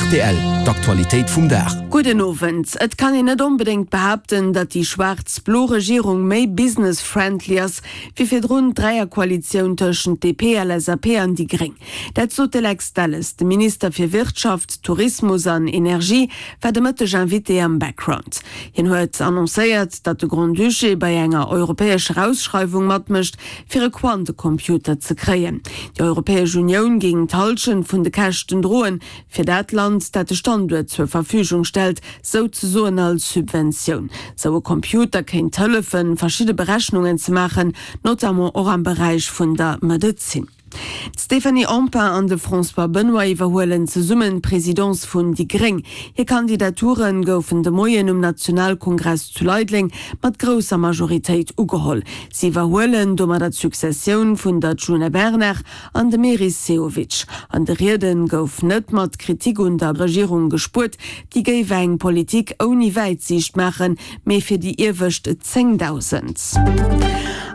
Rtl, D'Aktualitéit vum Dag. Gudden Owend. Et kann een net onbedéngt behaapten, datt déi schwaarz-blo Regierung méi business-friendly ass, wéi virdrun d'Dräierkoalitioun tëschent DP, LSAP an déi Gréng. Dat sot de Lex Delles. De Minister fir Wirtschaft, Tourismus an Energie war de Mëtteg Invité am Background. Hien huet annoncéiert, datt de Grand-Duché bei enger europäescher Ausschreiwung matmécht, fir e Quantecomputer ze kréien. Déi Europäesch Unioun géing d'Hallschent vun de Käschten droen, fir dat Land, dat de Standuert zur Verfügung stellt, souzesoen als Subventioun. Sou e Computer kéint hëllefen, verschidde Berechnungen ze maachen, notamment och am Beräich vun der Medezin. D'Stéphanie Empain an de François Benoy iwwerhuelen zesummen d'Presidence vun déi gréng. Hir Kandidature goufen de Moien um Nationalkongress zu Leideleng mat grousser Majoritéit ugeholl. Si iwwerhuelen domadder d'Successioun vun der Djuna Bernard an dem Meris Sehovic. An de Riede gouf net mat Kritik un der Regierung gespuert, déi géif eng Politik ouni Wäitsiicht maachen, mee fir déi iewescht 10.000.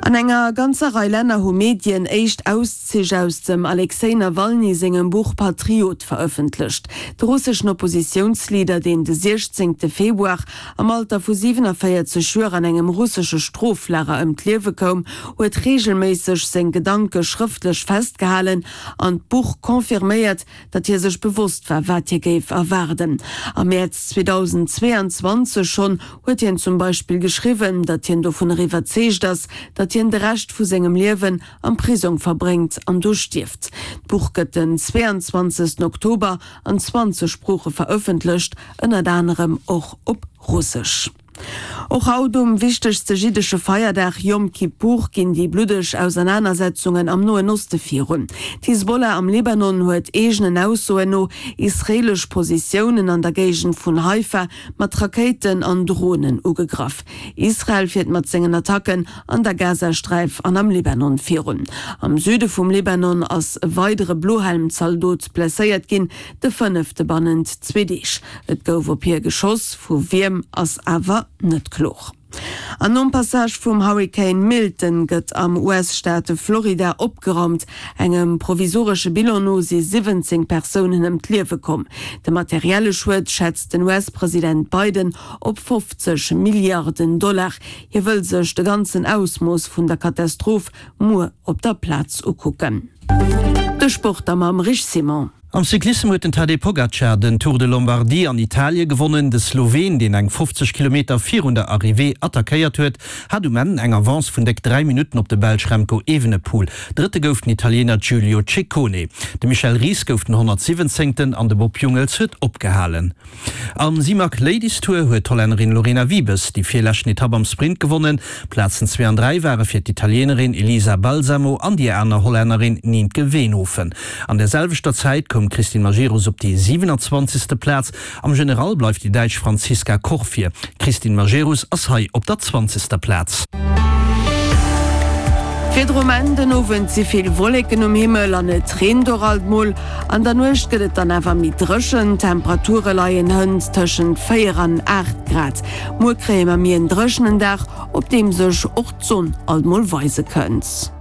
An enger ganzer Rei Länner hu Medien éischt Auszich aus dem Alexej Nawalny sengem Buch Patriot verëffentlecht. De russeschen Oppositiounsleader, deen de 16 Februar am Alter vu 47 Joer an engem russesche Stroflager ëm d'Liewe koum, huet reegelméisseg seng Gedanke schrëftlech festgehalen an d'Buch confirméiert, datt hie sech bewosst war, wat hie géif erwaarden. Am Mäerz 2022 schonn huet hien zum Beispill geschriwwen, datt hien dovunner iwwerzeegt ass, datt hien de Rescht vu sengem Liewen am Prisong verbréngt an do stierft. D'Buch gëtt den 22 Oktober an 20 Sprooche verëffentlecht, ënnert anerem och op Russesch. Och haut, um wichtegste jiddesche Feierdag Yom Kippur, ginn déi bluddeg Ausernanersetzungen am Noen Oste virun. D'Hisbollah am Libanon huet eegenen Aussoen no israeelesch Positiounen an der Géigend vun Haifa mat Rakéiten an Dronen ugegraff. Israel fiert mat sengen Attacken an der Gazasträif an am Libanon virun. Am Süde vum Libanon ass e weidere Blohelm-Zaldot blesséiert ginn, de fënnefte bannent zwee Deeg. Et gouf op hie geschoss, vu wiem ass awer net kloer. An nom Passage vum Hurrikan Milton gëtt am US-Staat Florida opgeraumt. Engem provisoresche Bilan no si 17 Persounen ëm d'Liewe komm. De materielle Schued schätzt den US-President Biden op 50 Milliarden Dollar. Hie wëll sech de ganzen Ausmooss vun der Katastroph muer op der Plaz ukucken. De Sport da mam Rich Simon. Am Cyclissem huet den Tadej Pogacar den Tour de Lombardie an Italie gewonnen. De Sloween, deen eng 50 Kilometer virun der Arrivée attackéiert huet, hat um Enn eng Avance vun déck 3 Minutten op de Belsch Remco Evenepoel. Drëtte gouf den Italiener Giulio Ciccone. De Michel Ries gouf den 117. An de Bob Jungels huet opgehalen. Am Simac Ladies Tour huet d'Hollännerin Lorena Wiebes déi virleschten Etapp am Sprint gewonnen. Plazen zwee an 3 ware fir d'Italienerin Elisa Balsamo an déi aner Hollännerin Nienke Veenhoven. An der selwechter Zäit koum d'Christine Majerus op déi 27. Plaz. Am General bleift déi Däitsch Franziska Koch vir. D'Christine Majerus ass hei op der 20. Plaz. Virdru Enn den Owend si vill Wolleken um Himmel an et reent och alt mol. An der Nuecht gëtt et dann awer méi dréchen, d'Temperature leien hënt tëschent 4 an 8 Grad. Muer kréie mer méi en dréchenen Dag, op deem sech och d'Sonn alt mol weise kënnt.